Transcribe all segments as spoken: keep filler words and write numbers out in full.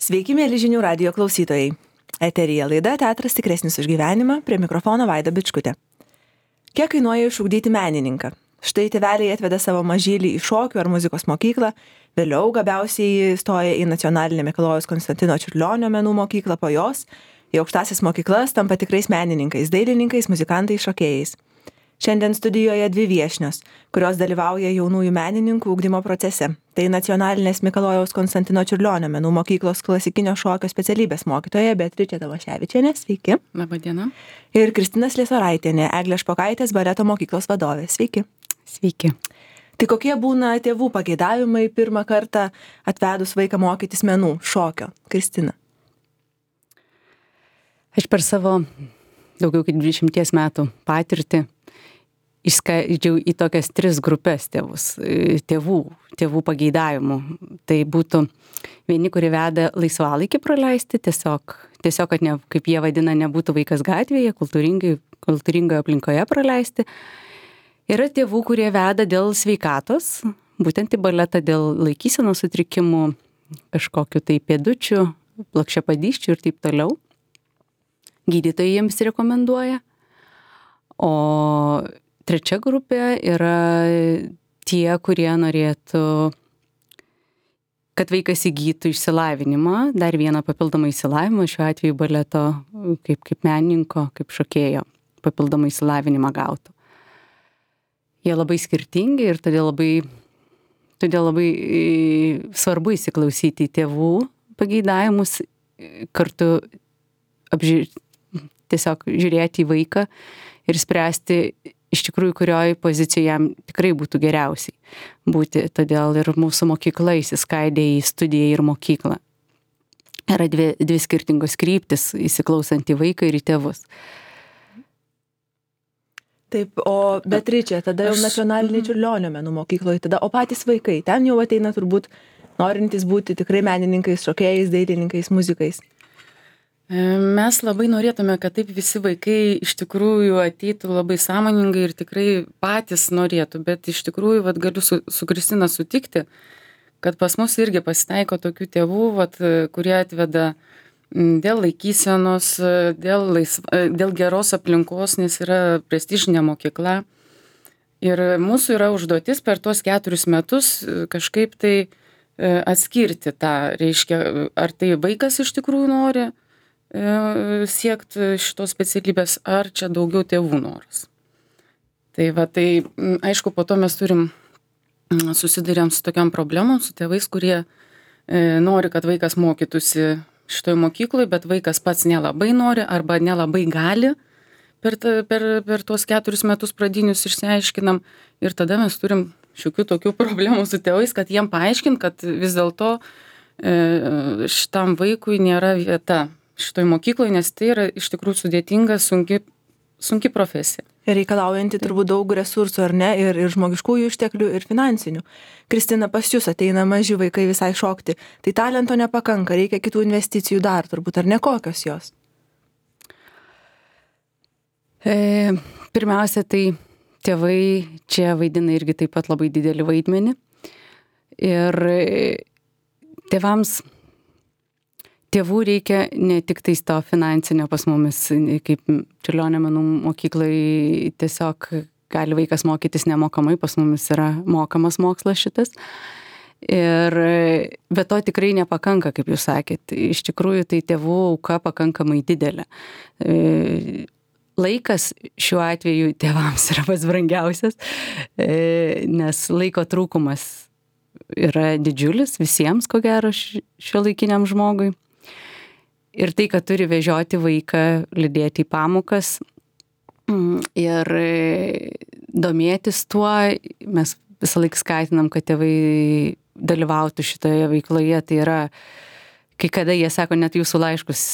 Sveiki, mėly žinių radijo klausytojai. Eteryje laida Teatras tikresnis už gyvenimą, prie mikrofono Vaida Bičkutė. Kiek kainuoja išugdyti menininką? Štai tėveliai atveda savo mažylį į šokių ar muzikos mokyklą, vėliau gabiausiai stoja į Nacionalinę Mikalojaus Konstantino Čiurlionio menų mokyklą, po jos į aukštąsias mokyklas tampa tikrais menininkais, dailininkais, muzikantais, šokėjais. Šiandien studijoje dvi viešnios, kurios dalyvauja jaunųjų menininkų ugdymo procese. Tai Nacionalinės Mikalojaus Konstantino Čiurlionio menų mokyklos klasikinio šokio specialybės mokytoja Beatričė Tamoševičienė, sveiki. Labą dieną. Ir Kristina Sliesoraitienė, Eglės Špokaitės baleto mokyklos vadovė, sveiki. Sveiki. Tai kokie būna tėvų pageidavimai pirmą kartą atvedus vaiką mokytis menų, šokio? Kristina. Aš per savo daugiau kaip dvidešimties metų patirtį išskaidžiau į tokias tris grupės tėvus, tėvų, tėvų pageidavimų. Tai būtų vieni, kurie veda laisvalaikį praleisti, tiesiog, tiesiog kad ne, kaip jie vadina, nebūtų vaikas gatvėje, kultūringai, kultūringoje aplinkoje praleisti. Yra tėvų, kurie veda dėl sveikatos, būtent į baletą dėl laikysenos sutrikimų, kažkokiu tai pėdučių, plokščiapadysčių ir taip toliau. Gydytojai jiems rekomenduoja. O trečia grupė yra tie, kurie norėtų, kad vaikas įgytų išsilavinimą, dar vieną papildomą išsilavinimą, šiuo atveju baleto kaip, kaip menininko, kaip šokėjo, papildomą išsilavinimą gautų. Jie labai skirtingi ir todėl labai, todėl labai svarbu įsiklausyti į tėvų pageidavimus, kartu apži... tiesiog žiūrėti į vaiką ir spręsti iš tikrųjų, kurioj pozicijoje jam tikrai būtų geriausiai būti. Todėl ir mūsų mokykla įsiskaidė į studiją ir mokyklą. Yra dvi, dvi skirtingos kryptis, įsiklausant į vaiką ir į tėvus. Taip, o Beatričė, tada jau Nacionalinė Čiurlionio menų mokykloje, tada, o patys vaikai, ten jau ateina turbūt norintys būti tikrai menininkais, šokėjais, dailininkais, muzikais. Mes labai norėtume, kad taip visi vaikai iš tikrųjų ateitų labai sąmoningai ir tikrai patys norėtų, bet iš tikrųjų vat, galiu su, su Kristina sutikti, kad pas mus irgi pasitaiko tokių tėvų, vat, kurie atveda dėl laikysenos, dėl, laisva, dėl geros aplinkos, nes yra prestižinė mokykla. Ir mūsų yra užduotis per tuos keturis metus kažkaip tai atskirti tą, reiškia, ar tai vaikas iš tikrųjų nori siekti šitos specialybės, ar čia daugiau tėvų noras. Tai va, tai aišku, po to mes turim, susidurėm su tokiam problemom, su tėvais, kurie e, nori, kad vaikas mokytųsi šitoj mokykloje, bet vaikas pats nelabai nori arba nelabai gali. Per, ta, per, per tuos keturis metus pradinius išsiaiškinam ir tada mes turim šiokių tokių problemų su tėvais, kad jiem paaiškint, kad vis dėlto e, šitam vaikui nėra vieta šitoj mokykloje, nes tai yra iš tikrųjų sudėtinga, sunki, sunki profesija. Ir reikalaujanti turbūt daug resursų, ar ne, ir, ir žmogiškųjų išteklių, ir finansinių. Kristina, pas jūs ateina maži vaikai visai šokti, tai talento nepakanka, reikia kitų investicijų dar turbūt, ar ne, kokios jos? E, pirmiausia, tai tėvai čia vaidina irgi taip pat labai didelį vaidmenį. Ir tėvams Tėvų reikia ne tik tais to finansinio pas mumis, kaip Čiurlionio menų mokyklai tiesiog gali vaikas mokytis nemokamai, pas mumis yra mokamas mokslas šitas. Ir bet to tikrai nepakanka, kaip jūs sakėt. Iš tikrųjų, tai tėvų auka pakankamai didelė. Laikas šiuo atveju tėvams yra pats brangiausias, nes laiko trūkumas yra didžiulis visiems, ko gero, šiuolaikiniam žmogui. Ir tai, kad turi vežioti vaiką, lydėti į pamokas ir domėtis tuo, mes visą laiką skatinam, kad tėvai dalyvautų šitoje veikloje. Tai yra, kai kada jie sako, net jūsų laiškus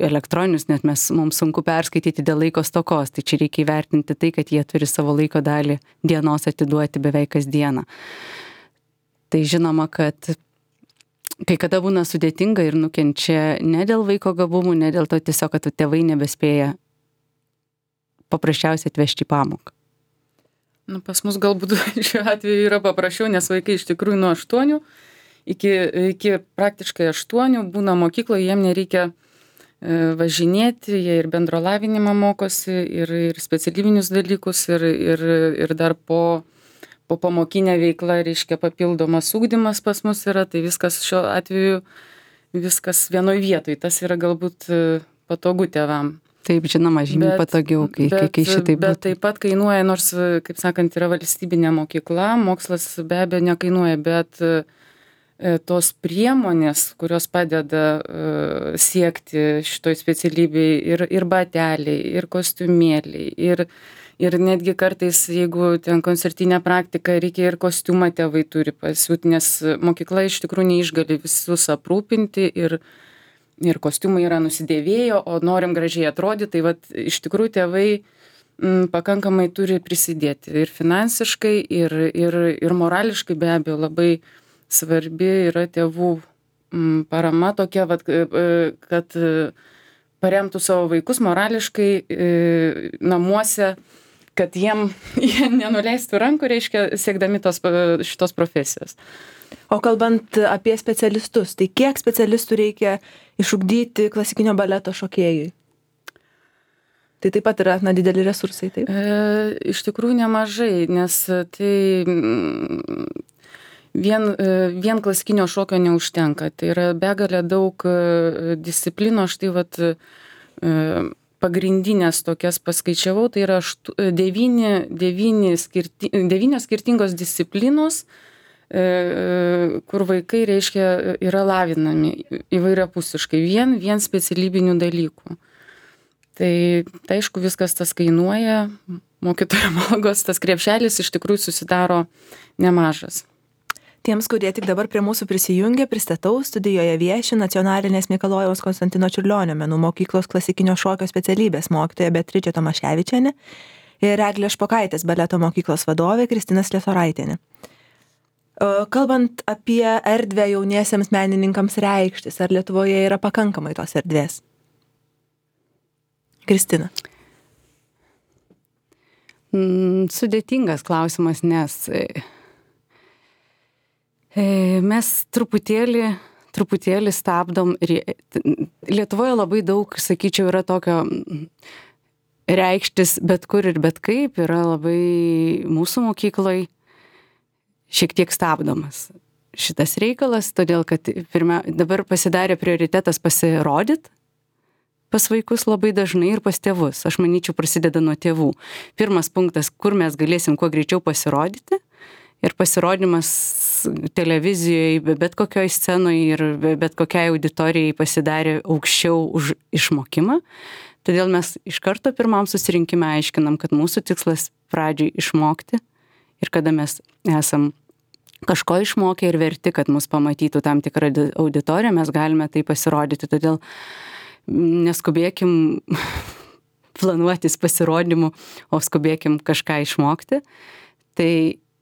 elektroninius, net mes, mums sunku perskaityti dėl laiko stokos. Tai čia reikia įvertinti tai, kad jie turi savo laiko dalį dienos atiduoti beveik kasdieną. Tai žinoma, kad kai kada būna sudėtinga ir nukenčia ne dėl vaiko gabumų, ne dėl to tiesiog, kad tėvai nebespėja paprasčiausiai atvežti į pamoką. Nu, pas mus galbūt šiuo atveju yra paprasčiau, nes vaikai iš tikrųjų nuo aštuonių iki, iki praktiškai aštuonių būna mokykloje, jiem nereikia važinėti, jie ir bendro lavinimą mokosi, ir, ir specialybinius dalykus, ir, ir, ir dar po, po pamokinę veiklą, reiškia papildomas ugdymas pas mus yra, tai viskas šiuo atveju, viskas vienoj vietoj, tas yra galbūt patogu tėvam. Taip, žinoma, žymiai patogiau, kai, bet, kai šitai būtų. Bet taip pat kainuoja, nors, kaip sakant, yra valstybinė mokykla, mokslas be abejo nekainuoja, bet tos priemonės, kurios padeda uh, siekti šitoj specialybėj, ir, ir bateliai, ir kostiumėliai, ir, ir netgi kartais, jeigu ten koncertinė praktika, reikia ir kostiumą tėvai turi pasiūti, nes mokykla iš tikrųjų neišgali visus aprūpinti, ir, ir kostiumai yra nusidėvėjo, o norim gražiai atrodyti, tai vat, iš tikrųjų tėvai m, pakankamai turi prisidėti ir finansiškai, ir, ir, ir morališkai be abejo labai svarbi yra tėvų parama tokia, vat, kad paremtų savo vaikus morališkai namuose, kad jiem jie nenuleistų rankų, reiškia, siekdami tos, šitos profesijos. O kalbant apie specialistus, tai kiek specialistų reikia išugdyti klasikinio baleto šokėjui? Tai taip pat yra na, dideli resursai, taip? E, iš tikrųjų nemažai, nes tai... Vien, vien klasikinio šokio neužtenka. Tai yra begalė daug disciplinų, štai vat, pagrindinės tokias paskaičiavau, tai yra aštu, devyni, devyni skirti, devynios skirtingos disciplinos, kur vaikai, reiškia, yra lavinami įvairiapusiškai, vien, vien specialybinių dalykų. Tai, tai aišku, viskas tas kainuoja, mokytojo algos, tas krepšelis iš tikrųjų susidaro nemažas. Tiems, kurie tik dabar prie mūsų prisijungia, pristatau, studijoje vieši Nacionalinės Mikalojaus Konstantino Čiurlionio menų mokyklos klasikinio šokio specialybės mokytoja Beatričė Tomaševičienė ir Eglė Špokaitės baleto mokyklos vadovė Kristina Sliesoraitienė. Kalbant apie erdvę jauniesiems menininkams reikštis, ar Lietuvoje yra pakankamai tos erdvės? Kristina. Sudėtingas klausimas, nes mes truputėlį, truputėlį stabdom. Lietuvoje labai daug, sakyčiau, yra tokio reikštis bet kur ir bet kaip, yra labai mūsų mokykloj šiek tiek stabdomas šitas reikalas, todėl kad pirmia, dabar pasidarė prioritetas pasirodyt pas vaikus labai dažnai ir pas tėvus. Aš manyčiau, prasideda nuo tėvų. Pirmas punktas, kur mes galėsim kuo greičiau pasirodyti. Ir pasirodymas televizijoje, bet kokioj scenoje ir bet kokiai auditorijai pasidarė aukščiau už išmokimą. Todėl mes iš karto pirmam susirinkime aiškinam, kad mūsų tikslas pradžiai išmokti ir kada mes esam kažko išmokę ir verti, kad mus pamatytų tam tikrą auditoriją, mes galime tai pasirodyti. Todėl neskubėkim planuotis pasirodymų, o skubėkim kažką išmokti. Tai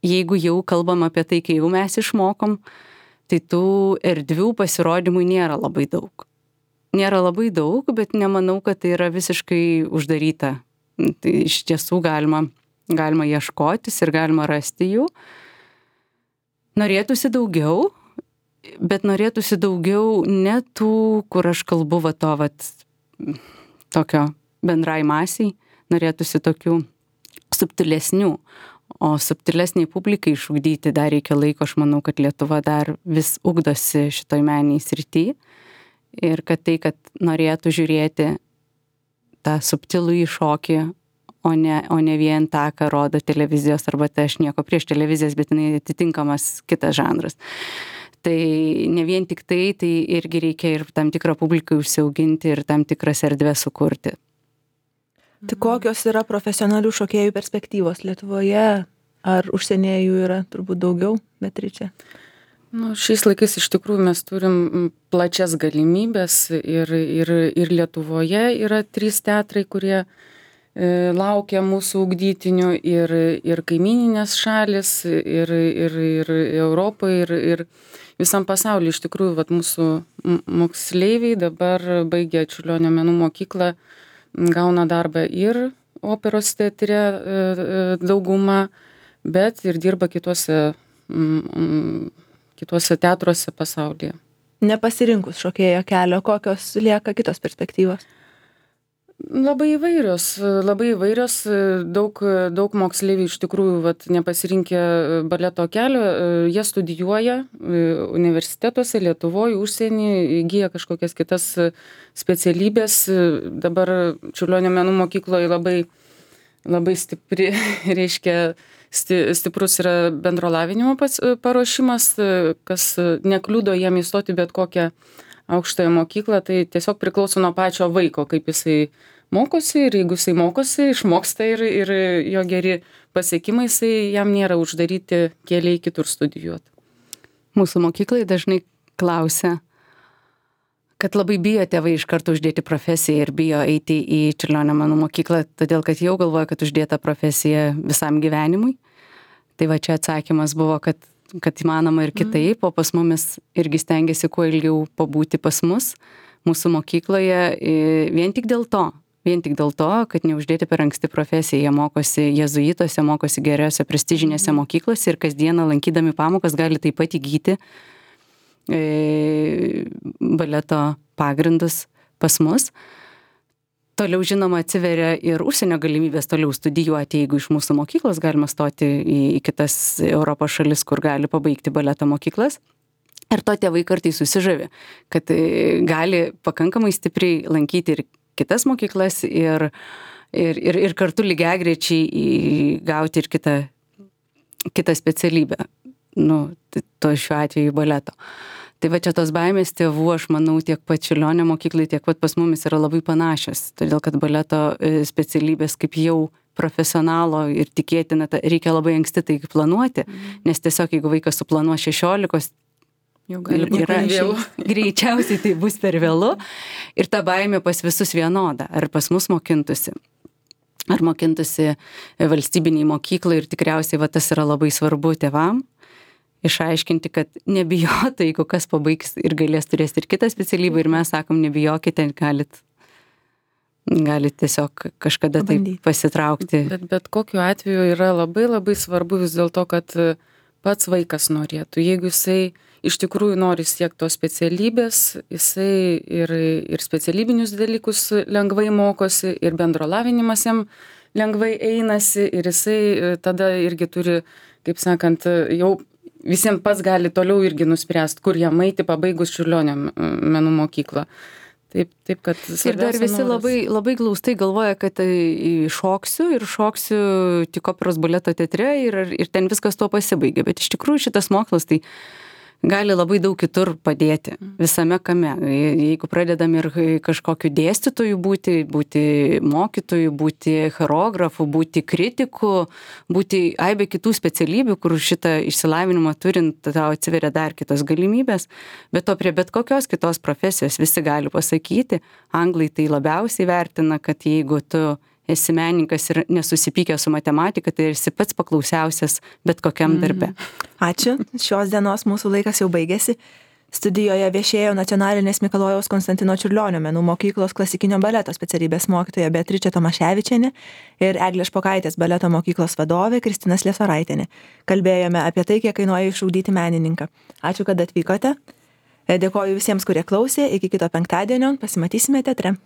jeigu jau kalbam apie tai, kai jau mes išmokom, tai tų erdvių pasirodymų nėra labai daug. Nėra labai daug, bet nemanau, kad tai yra visiškai uždaryta. Tai iš tiesų galima, galima ieškotis ir galima rasti jų. Norėtųsi daugiau, bet norėtųsi daugiau ne tų, kur aš kalbu va to, vat, tokio bendrai masiai, norėtųsi tokių subtilesnių. O subtilesniai publikai išugdyti dar reikia laiko, aš manau, kad Lietuva dar vis ugdosi šitoj meniniai srity ir kad tai, kad norėtų žiūrėti tą subtilų įšokį, o ne, o ne vien tą, ką rodo televizijos, arba tai aš nieko prieš televizijas, bet jinai atitinkamas kitas žanras. Tai ne vien tik tai, tai irgi reikia ir tam tikrą publiką užsiauginti ir tam tikras erdvės sukurti. Tai kokios yra profesionalių šokėjų perspektyvos Lietuvoje? Ar užsienyje jų yra turbūt daugiau, Beatričė? Nu, šiais laikais iš tikrųjų mes turim plačias galimybės ir, ir, ir Lietuvoje yra trys teatrai, kurie e, laukia mūsų ugdytinių ir, ir kaimininės šalis, ir, ir, ir Europoje, ir, ir visam pasaulyje. Iš tikrųjų, vat, mūsų moksleiviai dabar baigė Čiurlionio menų mokyklą, gauna darbą ir operos teatre dauguma, bet ir dirba kitose, kituose teatruose pasaulyje. Nepasirinkus šokėjo kelio, kokios lieka kitos perspektyvos? Labai įvairios, labai įvairios, daug, daug moksleivių iš tikrųjų vat, nepasirinkę baleto kelio, jie studijuoja universitetuose, Lietuvoje, užsienį, įgyja kažkokias kitas specialybės. Dabar Čiurlionio menų mokykloje labai, labai stipri, reiškia, stiprus yra bendro lavinimo paruošimas, kas nekliudo jiem įstoti bet kokią aukštąją mokyklą, tai tiesiog priklauso nuo pačio vaiko, kaip jisai mokosi ir jeigu jisai mokosi, išmoksta ir, ir jo geri pasiekimai, jisai jam nėra uždaryti keliai kitur studijuoti. Mūsų mokyklai dažnai klausia, kad labai bijo tėvai iš karto uždėti profesiją ir bijo eiti į Čiurlionio menų mokyklą, todėl kad jau galvoja, kad uždėta profesija visam gyvenimui. Tai va čia atsakymas buvo, kad kad įmanoma ir kitaip, o pas mumis irgi stengiasi kuo ilgiau pabūti pas mus, mūsų mokykloje, vien tik dėl to, vien tik dėl to, kad neuždėti per anksti profesiją. Jie mokosi jezuituose, mokosi geriausiose prestižinėse mokyklose ir kasdieną lankydami pamokas gali taip pat įgyti e, baleto pagrindus pas mus. Toliau, žinoma, atsiveria ir užsienio galimybės toliau studijuoti, jeigu iš mūsų mokyklos galima stoti į, į kitas Europos šalis, kur gali pabaigti baleto mokyklas. Ir to tėvai kartais susižavi, kad gali pakankamai stipriai lankyti ir kitas mokyklas ir, ir, ir, ir kartu lygiagrečiai gauti ir kitą, kitą specialybę, nu, to šiuo atveju baleto. Tai va čia tos baimės tėvų, aš manau, tiek pat Čiurlionio mokyklai, tiek pat pas mumis yra labai panašios, todėl kad baleto specialybės kaip jau profesionalo ir tikėtina, reikia labai anksti tai planuoti, nes tiesiog jeigu vaikas suplanuos šešiolikos, jau gali būti per vėlu. Greičiausiai tai bus per vėlu ir ta baimė pas visus vienoda, ar pas mus mokintusi, ar mokintusi valstybiniai mokyklai ir tikriausiai va tas yra labai svarbu tėvam. Išaiškinti, kad nebijotų, jeigu kas pabaigs ir galės turėti ir kitą specialybę ir mes sakom, nebijokite, galit, galit tiesiog kažkada taip pasitraukti. Bet, bet kokiu atveju yra labai labai svarbu vis dėlto, kad pats vaikas norėtų. Jeigu jisai iš tikrųjų nori siekti tos specialybės, jisai ir, ir specialybinius dalykus lengvai mokosi, ir bendro lavinimas jam lengvai einasi, ir jisai tada irgi turi, kaip sakant, jau visiems pats gali toliau irgi nuspręsti, kur jam eiti pabaigus Čiurlionio menų mokyklą. Taip, taip, kad ir dar visi noras. labai, labai glaustai galvoja, kad šoksiu ir šoksiu tik operos baleto teatre ir, ir ten viskas tuo pasibaigia. Bet iš tikrųjų šitas mokslas tai gali labai daug kitur padėti visame kame. Jeigu pradedam ir kažkokiu dėstytoju būti, būti mokytoju, būti choreografu, būti kritiku, būti aibė kitų specialybių, kur šitą išsilavinimą turint, tau atsiveria dar kitos galimybės. Bet to prie bet kokios kitos profesijos visi gali pasakyti, anglai tai labiausiai vertina, kad jeigu tu esi menininkas ir nesusipykęs su matematika, tai esi pats paklausiausias bet kokiam darbe. Ačiū. Šios dienos mūsų laikas jau baigėsi. Studijoje viešėjo Nacionalinės Mikalojaus Konstantino Čiurlionio menų mokyklos klasikinio baleto specialybės mokytoja Beatričė Tomaševičienė ir Eglė Špokaitės baleto mokyklos vadovė Kristina Sliesoraitienė. Kalbėjome apie tai, kiek kainuoja išugdyti menininką. Ačiū, kad atvykote. Dėkoju visiems, kurie klausė. Iki kito penktadienio. Pasimatysime teatre.